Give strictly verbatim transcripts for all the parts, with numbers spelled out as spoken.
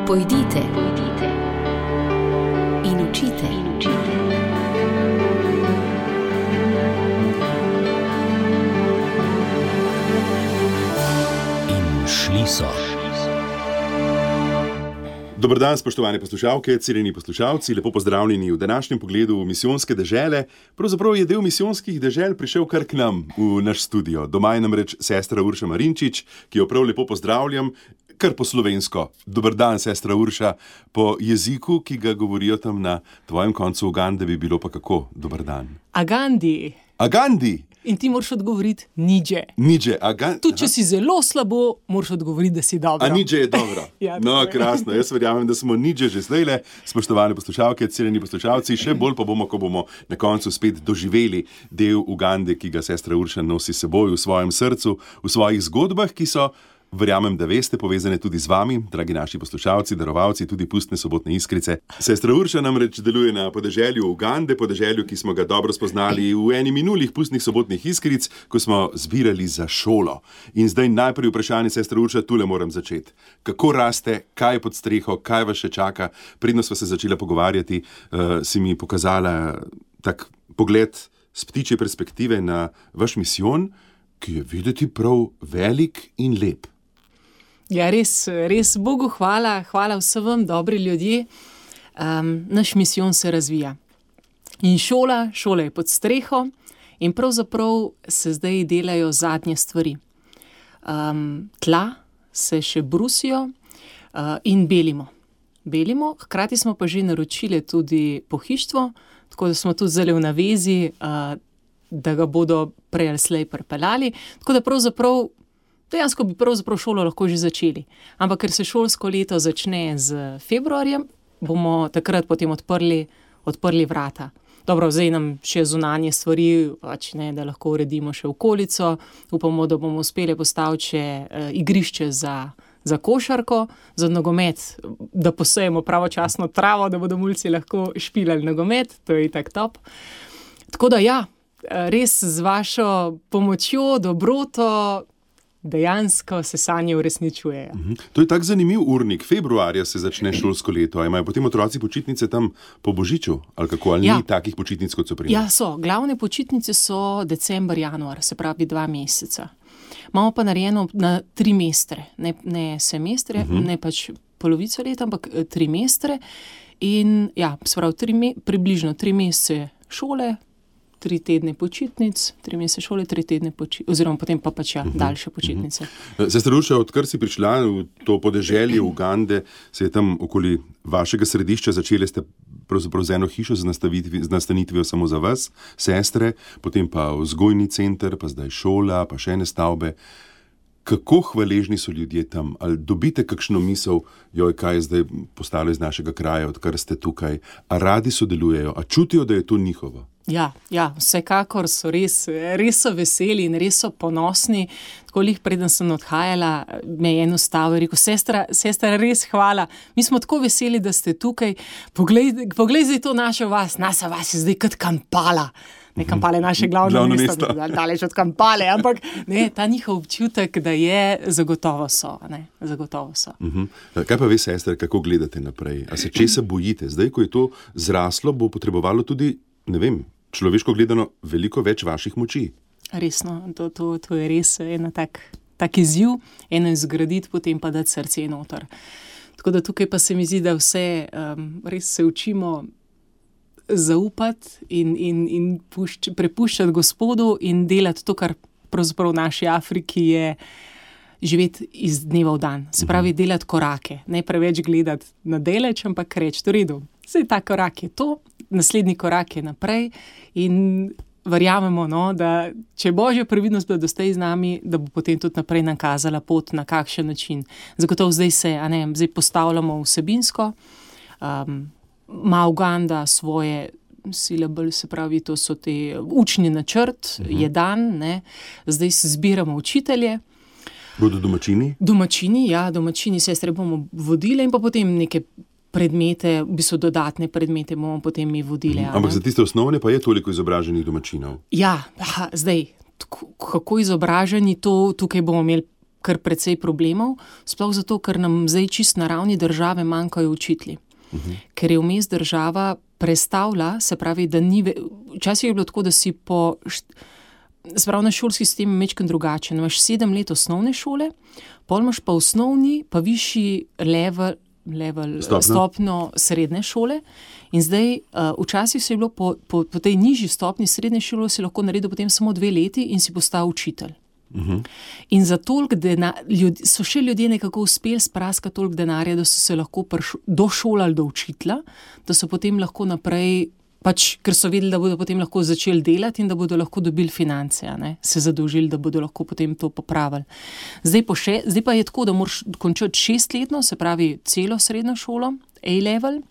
Pojdite, pojdite in učite, in učite. In šli so. Dober dan, spoštovane poslušalke, cenjeni poslušalci, lepo pozdravljeni v današnjem pogledu v misijonske dežele. Pravzaprav je del misijonskih dežel prišel kar k nam v naš studio. Doma je namreč sestra Urša Marinčič, ki jo prav lepo pozdravljam, kar po slovensko. Dober dan, sestra Urša, po jeziku, ki ga govorijo tam na tvojem koncu Ugande, bi bilo pa kako? Dober dan. Agandi. Agandi. In ti moraš odgovoriti niđe. Niđe, Agandi. Tudi če si zelo slabo, moraš odgovoriti, da si dobro. A niđe je dobro. Ja, no, tako je. krasno. Jaz verjamem, da smo niđe že zdajle, spoštovane poslušalke, cenjeni poslušalci, še bolj pa bomo, ko bomo na koncu spet doživeli del Ugande, ki ga sestra Urša nosi s seboj v svojem srcu, v svojih zgodbah, ki so, verjamem, da veste, povezane tudi z vami, dragi naši poslušalci, darovalci, tudi pustne sobotne iskrice. Sestra Urša namreč deluje na podeželju Ugande, podeželju, ki smo ga dobro spoznali v eni minulih pustnih sobotnih iskric, ko smo zbirali za šolo. In zdaj najprej vprašanje, sestra Urša, tule moram začeti. Kako raste, kaj je pod streho, kaj vas še čaka? Predno sva se začela pogovarjati, uh, si mi pokazala tak pogled z ptičje perspektive na vaš misijon, ki je videti prav velik in lep. Ja, res, res Bogu hvala, hvala vsem vam, dobri ljudje. Um, naš misijon se razvija. In šola, šola je pod streho in pravzaprav se zdaj delajo zadnje stvari. Um, tla se še brusijo uh, in belimo. Belimo, hkrati smo pa že naročili tudi pohištvo, tako da smo tudi zdaj v navezi, uh, da ga bodo prej ali slej pripeljali. Tako da pravzaprav Dejansko bi pravzaprav šolo lahko že začeli. Ampak ker se šolsko leto začne z februarjem, bomo takrat potem odprli, odprli vrata. Dobro, zdaj nam še zunanje stvari, pač ne, da lahko uredimo še okolico. Upamo, da bomo uspeli postaviti še uh, igrišče za, za košarko, za nogomet, da posejemo pravočasno travo, da bodo mulci lahko špilali nogomet, to je itak top. Tako da ja, res z vašo pomočjo, dobroto, dejansko se sanje uresničujejo. Mhm. To je tak zanimiv urnik. Februarja se začne šolsko leto. A imajo potem otroci počitnice tam po Božiču? Ali kako? Ali ja. Ni takih počitnic, kot so pri nas? Ja, so. Glavne počitnice so december, januar, se pravi dva meseca. Imamo pa narejeno na tri mestre. Ne, ne semestre, uh-huh. ne pač polovico leta, ampak tri mestre. In ja, se pravi, tri me, približno tri mesece šole, tri tedne počitnic, tri mesece šole, tri tedne počitnic, oziroma potem pa pač ja, uh-huh. daljše počitnice. Uh-huh. Sestra Urša, odkar si prišla v to podeželje Ugande, se je tam okoli vašega središča začeli ste pravzaprav z eno hišo z, z nastanitvijo samo za vas, sestre, potem pa vzgojni center, pa zdaj šola, pa še ene stavbe. Kako hvaležni so ljudje tam? Ali dobite kakšno misel, joj, kaj je zdaj postalo iz našega kraja, odkar ste tukaj? A radi sodelujejo? A čutijo, da je to njihovo? Ja, ja, vsekakor so res, res so veseli in res so ponosni. Tako lih preden sem odhajala, me je eno stavil in rekel, sestra, sestra, res hvala. Mi smo tako veseli, da ste tukaj. Poglej, poglej zdaj to našo vas, naša vas je zdaj kot Kampala. Ne, Kampala je naše glavno, glavno mesto, daleč od Kampale, ampak ne, ta njihov občutek, da je, zagotovo so. Ne, zagotovo so. Uh-huh. Kaj pa vi, sestra, kako gledate naprej? A se česa bojite? Zdaj, ko je to zraslo, bo potrebovalo tudi, ne vem, človeško gledano, veliko več vaših moči. Resno, to, to, to je res ena tak, tak izziv, eno izgraditi, potem pa dati srce noter. Tako da tukaj pa se mi zdi, da vse um, res se učimo zaupati in, in, in pušč, prepuščati Gospodu in delati to, kar pravzaprav v naši Afriki je živeti iz dneva v dan. Se pravi, delati korake, ne preveč gledati na daleč, ampak reči, v redu, zdaj ta korak je to, naslednji korak je naprej in verjamemo, no, da če je Božja previdnost bila doslej z nami, da bo potem tudi naprej nam kazala pot, na kakšen način. Zagotovo zdaj se, a ne, zdaj postavljamo vsebinsko, um, ima Uganda svoje syllable, se pravi, to so te učni načrt, uh-huh. je dan, ne, zdaj se zbiramo učitelje. Bodo domačini? Domačini, ja, domačini, sestre bomo vodile in pa potem neke predmete, v bistvu dodatne predmete bomo potem mi vodile. Ampak za tiste osnovne pa je toliko izobraženih domačinov? Ja, aha, zdaj, kako izobraženi, to tukaj bomo imeli kar precej problemov, sploh zato, ker nam zdaj čist na ravni države manjkajo učitelji. Uh-huh. Ker je vmes država prestavila, se pravi, da ni... Ve... Včasih je bilo tako, da si po... Spravno šolski sistem je mečken drugačen. Imaš sedem let osnovne šole, pol imaš pa osnovni, pa višji level, level stopno srednje šole. In zdaj, uh, včasih se je bilo po, po, po tej nižji stopni srednje šole si lahko naredil potem samo dve leti in si postal učitelj. Uh-huh. In za toliko denarja, so še ljudje nekako uspeli spraskati toliko denarja, da so se lahko prš, došolali do učitelja, da so potem lahko naprej, pač, ker so vedeli, da bodo potem lahko začeli delati in da bodo lahko dobili finance, a ne, se zadolžili, da bodo lahko potem to popravili. Zdaj, po še, zdaj pa je tako, da moraš končati šestletno, se pravi celo srednjo šolo, A-level,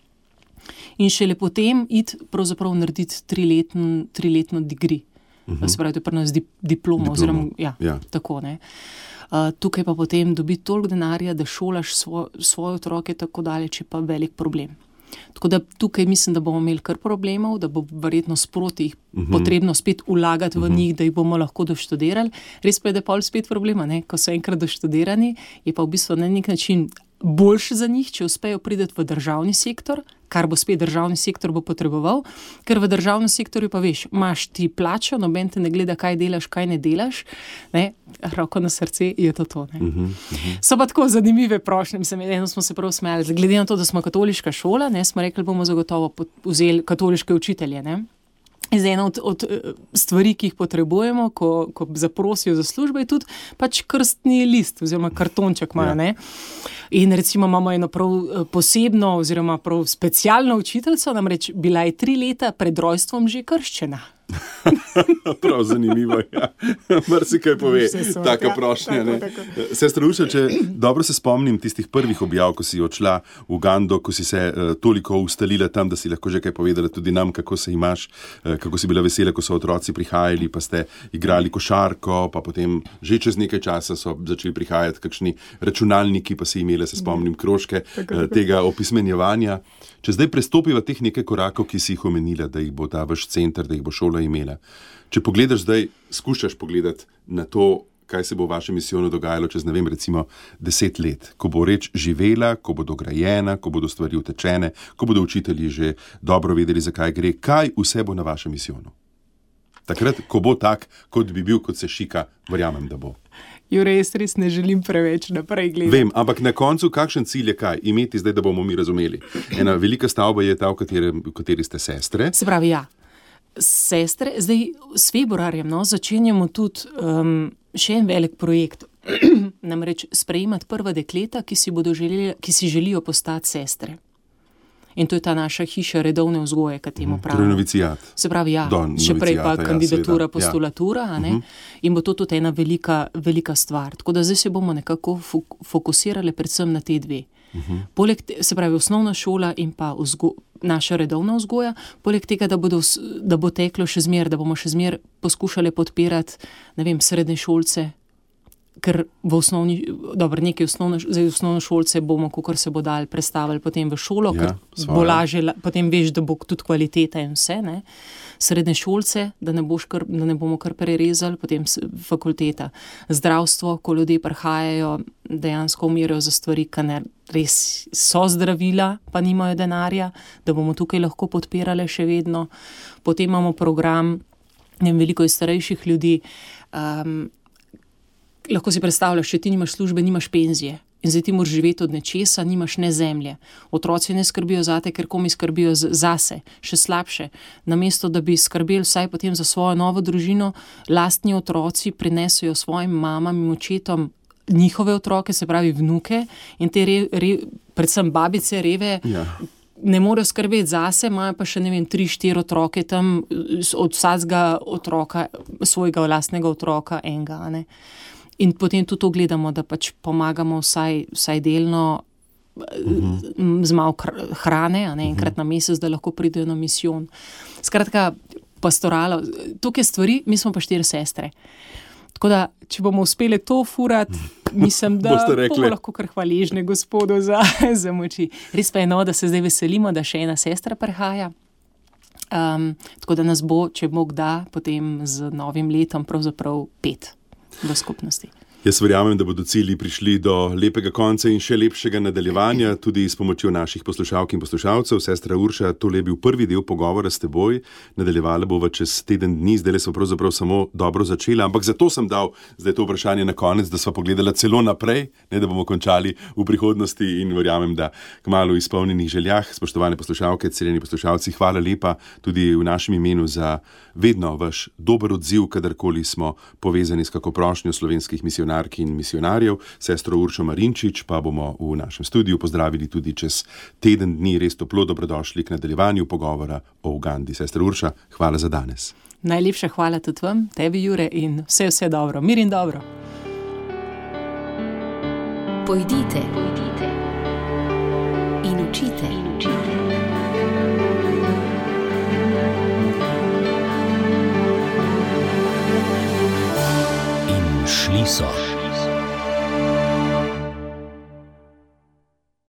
in šele potem iti pravzaprav narediti triletno, triletno degree. Uh-huh. Se pravi, to je pri nas dip, diploma, diploma, oziroma, ja, ja. Tako, ne. Uh, tukaj pa potem dobi toliko denarja, da šolaš svo, svoje otroke tako daleč, je pa velik problem. Tako da tukaj mislim, da bomo imeli kar problemov, da bo verjetno sproti jih uh-huh. potrebno spet vlagati v uh-huh. njih, da jih bomo lahko doštudirali. Res pa je, da je pol spet problema, ne? Ko so enkrat doštudirani, je pa v bistvu na nek način boljše za njih, če uspejo priti v državni sektor, kar bo spet državni sektor bo potreboval, ker v državnem sektorju pa veš, imaš ti plačo, noben te ne gleda, kaj delaš, kaj ne delaš, ne, roko na srce je to to. Ne. Uh-huh, uh-huh. So pa tako zanimive prošnje, mislim, eno smo se prav smejali, glede na to, da smo katoliška šola, ne, smo rekli, bomo zagotovo vzeli katoliške učitelje, ne. Zdaj, ena od, od stvari, ki jih potrebujemo, ko, ko zaprosijo za službo, je tudi pač krstni list oziroma kartonček imajo, ja. Ne. In recimo imamo eno prav posebno oziroma prav specialno učiteljico, namreč bila je tri leta pred rojstvom že krščena. Prav zanimivo, ja. Marsikaj pove, taka ja, prošnja. Tako, tako. Sestra Urša, če dobro se spomnim tistih prvih objav, ko si odšla v Ugando, ko si se uh, toliko ustalila tam, da si lahko že kaj povedala tudi nam, kako se imaš, uh, kako si bila vesela, ko so otroci prihajali, pa ste igrali košarko, pa potem že čez nekaj časa so začeli prihajati kakšni računalniki, pa si imela, se spomnim, krožke uh, tega opismenjevanja. Če zdaj prestopiva teh nekaj korakov, ki si jih omenila, da jih bo ta vaš center, da jih bo šola imela. Če pogledaš zdaj, skušaš pogledati na to, kaj se bo v vašem misijonu dogajalo čez, ne vem, recimo deset let, ko bo reč živela, ko bo dograjena, ko bodo stvari utečene, ko bodo učitelji že dobro vedeli, zakaj gre, kaj vse bo na vašem misijonu. Takrat, ko bo tak, kot bi bil, kot se šika, verjamem, da bo. Jure, jaz res ne želim preveč naprej gledati. Vem, ampak na koncu, kakšen cilj je kaj? Imeti zdaj, da bomo mi razumeli. Ena velika stavba je ta, v kateri, v kateri ste sestre. Se pravi, ja. Sestre, zdaj s februarjem no, začenjamo tudi um, še en velik projekt. Namreč sprejemati prva dekleta, ki si, bodo želeli, ki si želijo postati sestre. In to je ta naša hiša redovne vzgoje, ki temu pravimo. Torej novicijat. Se pravi, ja, še prej pa kandidatura, ja, postulatura, a ne? Uh-huh. In bo to tudi ena velika, velika stvar. Tako da zdaj se bomo nekako fokusirali predvsem na te dve. Uh-huh. Poleg, te, se pravi, osnovna šola in pa vzgo, naša redovna vzgoja, poleg tega, da, bodo, da bo teklo še zmer, da bomo še zmer poskušali podpirati, ne vem, srednje šolce, ker v osnovni, dobro, nekaj osnovno, zdaj osnovno šolce bomo, kakor se bo dal, prestavili potem v šolo, ja, ker bo lažje, potem veš, da bo tudi kvaliteta in vse, ne. Srednje šolce, da ne, boš kar, da ne bomo kar prerezali, potem fakulteta. Zdravstvo, ko ljudje prihajajo, dejansko umirajo za stvari, ki ne res so zdravila, pa nimajo denarja, da bomo tukaj lahko podpirali še vedno. Potem imamo program, ne vem, veliko je starejših ljudi, um, lahko si predstavljaš, če ti nimaš službe, nimaš penzije in zdaj ti moraš živeti od nečesa, nimaš ne zemlje. Otroci ne skrbijo zate, ker komi skrbijo zase, še slabše. Namesto, da bi skrbeli vsaj potem za svojo novo družino, lastni otroci prinesejo svojim mamam in očetom njihove otroke, se pravi vnuke in te re, re, predvsem babice, reve, ja. Ne morejo skrbeti zase, imajo pa še, ne vem, tri, štiri otroke tam, od vsakega otroka, svojega lastnega otroka, enega, ne. In potem tudi to gledamo, da pač pomagamo vsaj, vsaj delno uh-huh. z malo hrane, a ne, enkrat uh-huh. na mesec, da lahko pridejo na misijon. Skratka, pastoralo, tukaj stvari, mi smo pa štiri sestre. Tako da, če bomo uspeli to furati, mislim, da bomo lahko kar hvaležni Gospodu za, za moči. Res pa je no, da se zdaj veselimo, da še ena sestra prihaja. Um, tako da nas bo, če Bog da, potem z novim letom pravzaprav pet v skupnosti. Jaz verjamem, da bodo cilji prišli do lepega konca in še lepšega nadaljevanja, tudi s pomočjo naših poslušalk in poslušalcev. Sestra Urša, tole je bil prvi del pogovora s teboj, nadaljevala bova čez teden dni, zdaj smo pravzaprav samo dobro začeli, ampak zato sem dal zdaj to vprašanje na konec, da sva pogledala celo naprej, ne da bomo končali v prihodnosti in verjamem, da kmalu izpolnjenih željah. Spoštovane poslušalke, cenjeni poslušalci, hvala lepa tudi v našem imenu za vedno vaš dober odziv, kadarkoli smo povezani s kako prošnjo slovenskih misionarjev in misionarjev. Sestro Uršo Marinčič pa bomo v našem studiu pozdravili tudi čez teden dni. Res toplo dobrodošli k nadaljevanju pogovora o Ugandi. Sestra Urša, hvala za danes. Najlepša hvala tudi vam, tebi Jure, in vse vse dobro, mir in dobro. Pojdite, pojdite in učite, in učite. In šli so.